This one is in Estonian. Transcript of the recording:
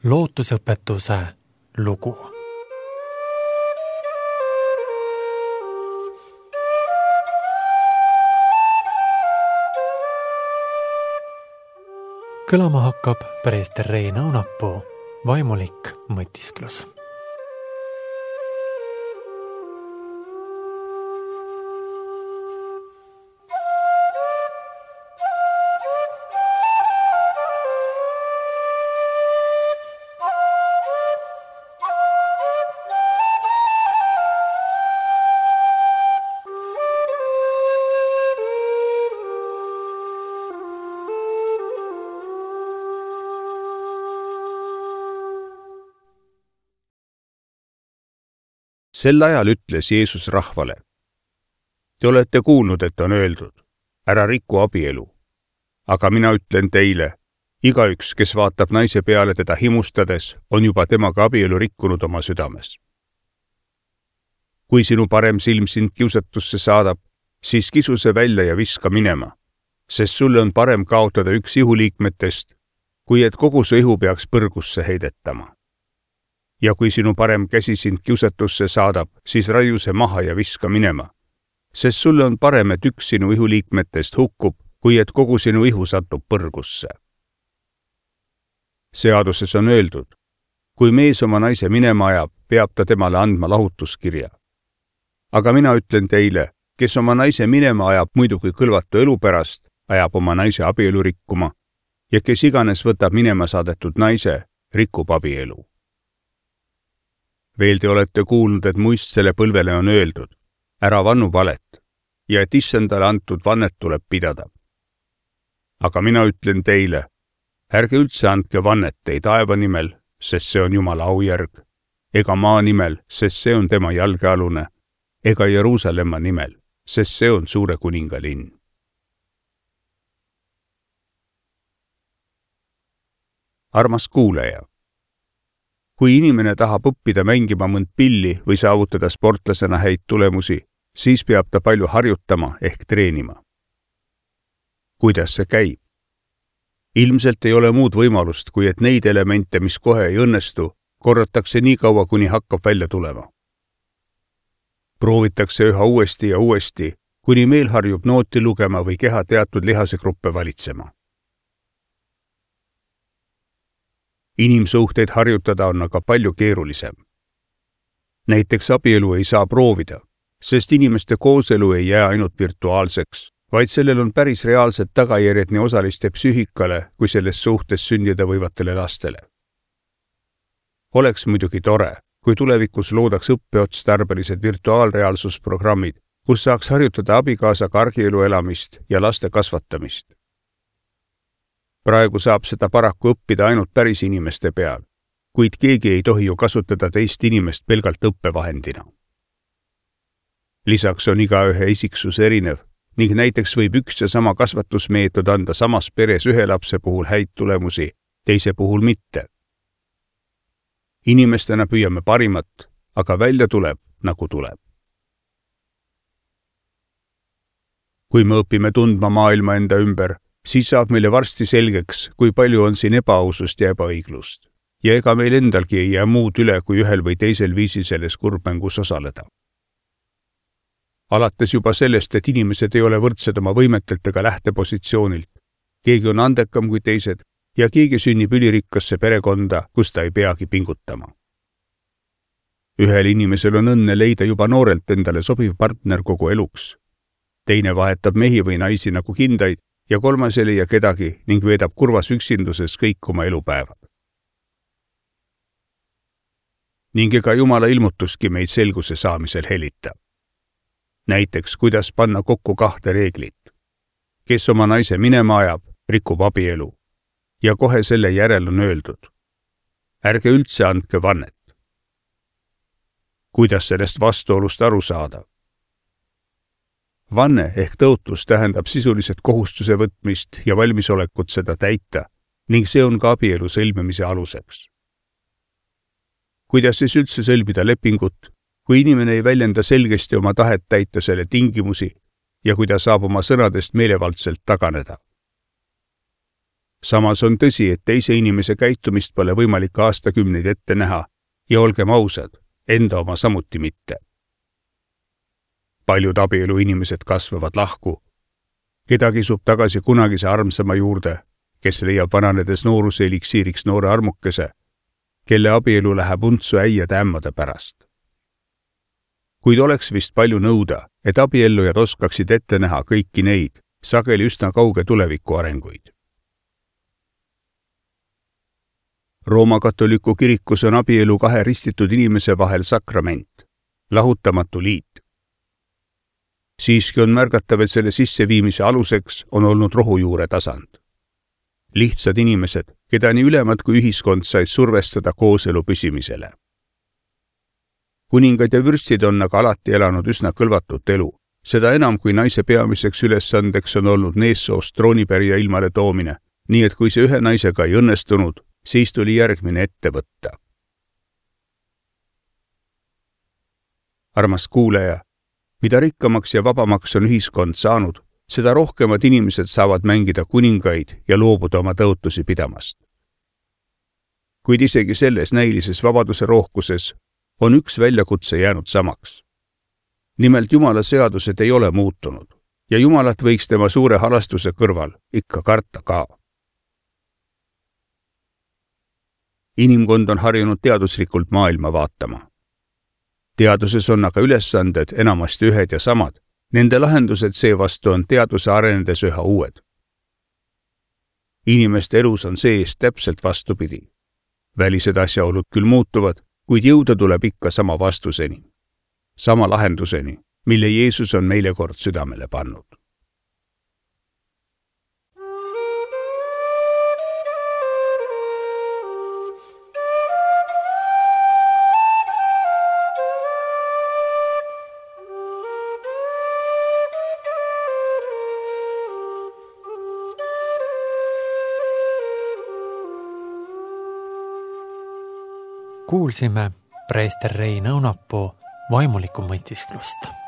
lootusõpetuse lugu. Kõlama hakkab preester Rein Aunapuu vaimulik mõtisklus. Sel ajal ütles Jeesus rahvale: Te olete kuulnud, et on öeldud, ära riku abielu. Aga mina ütlen teile, igaüks, kes vaatab naise peale teda himustades, on juba temaga abielu rikkunud oma südames. Kui sinu parem silm sind kiusatusse saadab, siis kisu see välja ja viska minema, sest sulle on parem kaotada üks ihuliikmetest, kui et kogu su ihu peaks põrgusse heidetama. Ja kui sinu parem käsi sind kiusatusse saadab, siis raiu see maha ja viska minema, sest sulle on parem, et üks sinu ihuliikmetest hukkub, kui et kogu sinu ihu satub põrgusse. Seaduses on öeldud, kui mees oma naise minema ajab, peab ta temale andma lahutuskirja. Aga mina ütlen teile, kes oma naise minema ajab muidugi kõlvatu elu pärast, ajab oma naise abielu rikkuma, ja kes iganes võtab minema saadetud naise, rikub abielu. Veel te olete kuulnud, et muistsele põlvele on öeldud, ära vannu valet, ja et issandale antud vannet tuleb pidada. Aga mina ütlen teile, ärge üldse andke vannet ei taeva nimel, sest see on Jumala aujärg, ega maa nimel, sest see on tema jalgealune, ega Jeruusalemma nimel, sest see on suure kuninga linn. Armas kuulaja! Kui inimene tahab õppida mängima mõnd pilli või saavutada sportlasena häid tulemusi, siis peab ta palju harjutama ehk treenima. Kuidas see käib? Ilmselt ei ole muud võimalust, kui et neid elemente, mis kohe ei õnnestu, korratakse nii kaua, kuni hakkab välja tulema. Proovitakse üha uuesti ja uuesti, kuni meel harjub nooti lugema või keha teatud lihasegruppe valitsema. Inimsuhteid harjutada on aga palju keerulisem. Näiteks abielu ei saa proovida, sest inimeste kooselu ei jää ainult virtuaalseks, vaid sellel on päris reaalsed tagajärjed nii osaliste psüühikale kui selles suhtes sündida võivatele lastele. Oleks muidugi tore, kui tulevikus loodaks õppeotstarbelised virtuaalreaalsusprogrammid, kus saaks harjutada abikaasaga argielu elamist ja laste kasvatamist. Praegu saab seda paraku õppida ainult päris inimeste peal, kuid keegi ei tohi ju kasutada teist inimest pelgalt õppevahendina. Lisaks on igaühe isiksus erinev ning näiteks võib üks ja sama kasvatusmeetod anda samas peres ühe lapse puhul häid tulemusi, teise puhul mitte. Inimestena püüame parimat, aga välja tuleb, nagu tuleb. Kui me õpime tundma maailma enda ümber, siis saab meile varsti selgeks, kui palju on siin ebaausust ja ebaõiglust. Ja ega meil endalgi ei jää muud üle, kui ühel või teisel viisil selles kurbmängus osaleda. Alates juba sellest, et inimesed ei ole võrdsed oma võimetelt ega lähtepositsioonilt. Keegi on andekam kui teised ja keegi sünnib ülirikkasse perekonda, kus ta ei peagi pingutama. Ühel inimesel on õnne leida juba noorelt endale sobiv partner kogu eluks. Teine vahetab mehi või naisi nagu kindaid ja kolmas ei leia kedagi ning veedab kurvas üksinduses kõik oma elupäevad. Ning ega Jumala ilmutuski meid selguse saamisel helita. Näiteks, kuidas panna kokku 2 reeglit. Kes oma naise minema ajab, rikub abielu. Ja kohe selle järel on öeldud: ärge üldse andke vannet. Kuidas sellest vastuolust aru saada? Vanne ehk tõotus tähendab sisuliselt kohustuse võtmist ja valmisolekut seda täita ning see on ka abielu sõlmimise aluseks. Kuidas siis üldse sõlmida lepingut, kui inimene ei väljenda selgesti oma tahet täita selle tingimusi ja kui ta saab oma sõnadest meelevaldselt taganeda? samas on tõsi, et teise inimese käitumist pole võimalik aastakümneid ette näha ja olgem ausad, enda oma samuti mitte. Paljud abielu inimesed kasvavad lahku. Keda kisub tagasi kunagise armsama juurde, kes leiab vananedes nooruse eliksiiriks noore armukese, kelle abielu läheb untsu äiade ämmade pärast. Kuid oleks vist palju nõuda, et abiellujad oskaksid ette näha kõiki neid, sageli üsna kauge tuleviku arenguid. Rooma katoliku kirikus on abielu kahe ristitud inimese vahel sakrament, lahutamatu liit. Siiski on märgatav, et selle sisseviimise aluseks on olnud rohujuure tasand. Lihtsad inimesed, keda nii ülemad kui ühiskond said survestada kooselu püsimisele. Kuningad ja vürstid on aga alati elanud üsna kõlvatut elu, seda enam kui naise peamiseks ülesandeks on olnud neessoost troonipärija ilmale toomine, nii et kui see ühe naisega ei õnnestunud, siis tuli järgmine ette võtta. Armas kuulaja, mida rikkamaks ja vabamaks on ühiskond saanud, seda rohkemad inimesed saavad mängida kuningaid ja loobuda oma tõotusi pidamast. Kuid isegi selles näilises vabaduse rohkuses on üks väljakutse jäänud samaks. Nimelt Jumala seadused ei ole muutunud ja Jumalat võiks tema suure halastuse kõrval ikka karta ka. Inimkond on harjunud teaduslikult maailma vaatama. Teaduses on aga ülesanded enamasti ühed ja samad. Nende lahendused seevastu on teaduse arenedes üha uued. Inimeste elus on see-eest täpselt vastupidi. Välised asjaolud küll muutuvad, kuid jõuda tuleb ikka sama vastuseni. Sama lahenduseni, mille Jeesus on meile kord südamele pannud. Kuulsime preester Rein Õunapuu vaimulikku mõtisklust.